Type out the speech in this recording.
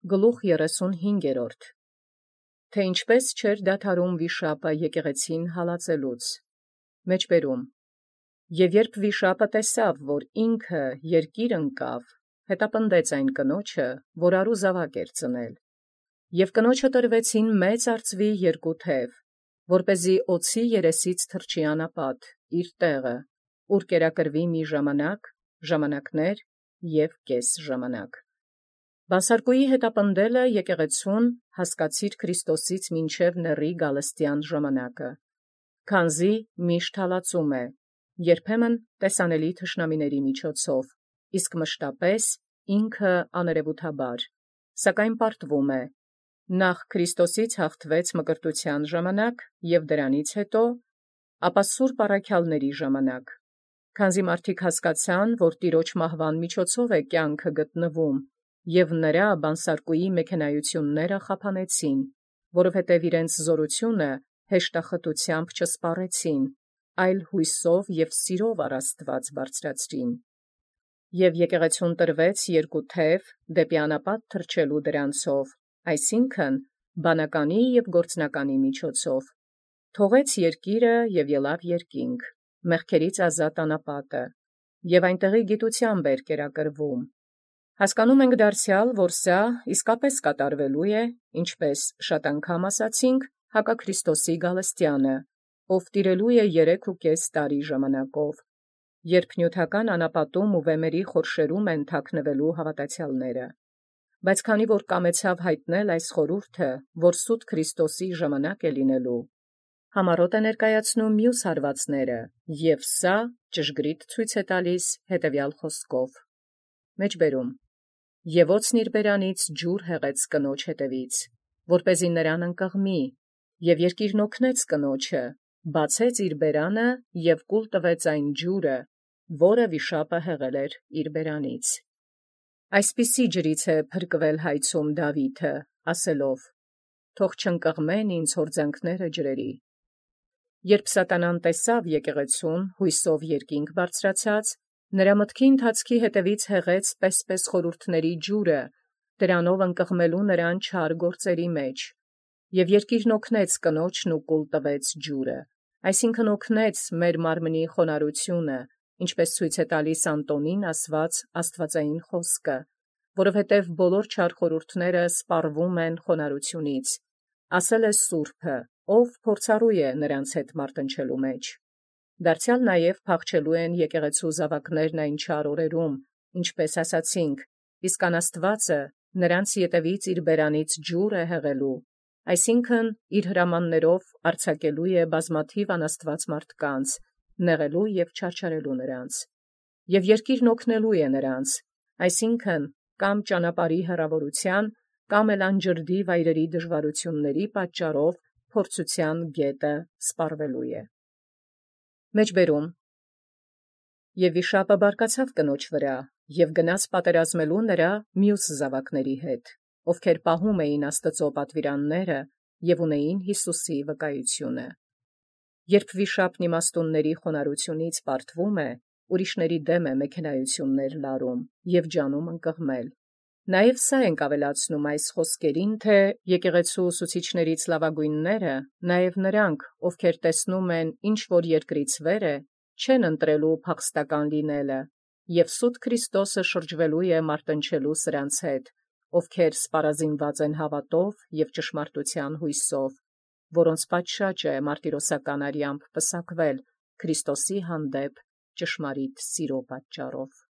Գլուխ 35. Թե ինչպէս չէր դադարում վիշապը եկեղեցին հալածելուց։ Մեջբերում. Եւ երբ վիշապը տեսաւ, որ ինքը երկիր ընկավ, հետապնդեց այն կնոջը, որ արու զաւակ էր ծնել։ Եւ կնոջը տրվեցին մեծ արծուի երկու թև, որպեսզի օծի երեսից թռչի անապատ իր տեղը, ուր կերակրվի մի ժամանակ, ժամանակներ եւ կես ժամանակ։ Բանսարկուի հետապնդելը եկեղեցուն հասկացիր Քրիստոսից մինչև նռի գալստյան ժամանակը, քանզի միշտ հալածում է, երբեմն տեսանելի թշնամիների միջոցով, իսկ մշտապես ինքը աներևութաբար, սակայն պարտվում է, նախ Քրիստոսից հաղթվեց մկրտության ժամանակ և դրանից հետո, ապա սուրբ առաքյալների ժամանակ, քանզի մարդիկ հասկացան, որ Տիրոջ մահվան միջոցով է կյանքը գտնվում, և նրա բանսարկուի մեքենայությունները խափանեցին, որովհետև իրենց զորությունը հեշտախտությամբ չսպառեցին, այլ հույսով և սիրով առ Աստված բարձրացրին։ Եվ եկեղեցուն տրվեց երկու թև դեպի անապատ թռչելու դրանցով, այսինքն բանականի և գործնականի միջոցով, թողեց երկիրը և ելավ երկինք, մեղքերից ազատ անապատը, և այնտեղի գիտությամբ էր կերակրվում։ Հասկանում ենք դարձյալ, որ սա իսկապես կատարվելու է, ինչպես շատ անգամ ասացինք, հակաքրիստոսի գալստյանը, ով տիրելու է 3.5 տարի ժամանակով, երբ նյութական անապատում ու վեմերի խորշերում են թաքնվելու հավատացյալները։ Բայց քանի որ կամեցավ հայտնել այս խորհուրդը, որ սուտ Քրիստոսի ժամանակ է լինելու, համառոտ է ներկայացնում մյուս հարվածները, և սա ճշգրիտ ցույց է տալիս հետևյալ խոսքով. Մեջբերում. Եւ օծն իր բերանից ջուր հեղեց կնոջ հետևից, որպեսզի նրան ընկղմի, եւ երկիրն օգնեց կնոջը, բացեց իր բերանը եւ կուլ տվեց այն ջուրը, որը վիշապը հեղել էր իր բերանից։ Այսպիսի ջրից է փրկվել հայցում Դավիթը, ասելով. «Թող չընկղմեն ինձ հորձանքները ջրերի»։ Երբ սատանան տեսավ եկեղեցուն հույսով երկինք բարձրացած, նրա մտքի ընթացքի հետևից հեղեց պես խորհուրդների ջուրը, դրանով ընկղմելու նրան չար գործերի մեջ, և երկիրն օգնեց կնոջն ու կուլ տվեց ջուրը, այսինքն օգնեց մեր մարմնի խոնարհությունը, ինչպես ցույց է տալիս Անտոնին ասված աստվածային խոսքը, որովհետև բոլոր չար խորհուրդները սպառվում են խոնարհությունից, ասել է Սուրբը, ով փորձառու է նրանց հետ մարտնչելու մեջ։ Դարձյալ նաև փախչելու են եկեղեցու զավակներն այն չար օրերում, ինչպես ասացինք, իսկ անաստվածը նրանց ետևից իր բերանից ջուր է հեղելու, այսինքն իր հրամաններով արձակելու է բազմաթիվ անաստված մարդկանց, նեղելու և չարչարելու նրանց, և երկիրն օգնելու է նրանց, այսինքն կամ ճանապարհի հեռավորության, կամ էլ անջրդի վայրերի դժվարությունների պատճառով փորձության գետը սպառվելու է։ Մեջբերում. Եվ վիշապը բարկացավ կնոջ վրա, և գնաց պատերազմելու նրա մյուս զավակների հետ, ովքեր պահում էին Աստծո պատվիրանները և ունեին Յիսուսի վկայությունը։ Երբ վիշապն իմաստունների խոնարհությունից պարտվում է, ուրիշների դեմ է մեքենայություններ լարում և ջանում ընկղմել։ Նաև սա ենք ավելացնում այս խոսքերին, թե եկեղեցու ուսուցիչներից լավագույնները, նաև նրանք, ովքեր տեսնում են ինչ-որ երկրից վեր է, չեն ընտրելու փախստական լինելը, և սուտ Քրիստոսը շրջվելու է մարտնչելու սրանց հետ, ովքեր սպառազինված են հավատով և ճշմարտության հույսով, որոնց պատշաճ է մարտիրոսական արյամբ պսակվել Քրիստոսի հանդեպ ճշմարիտ սիրո պատճառով։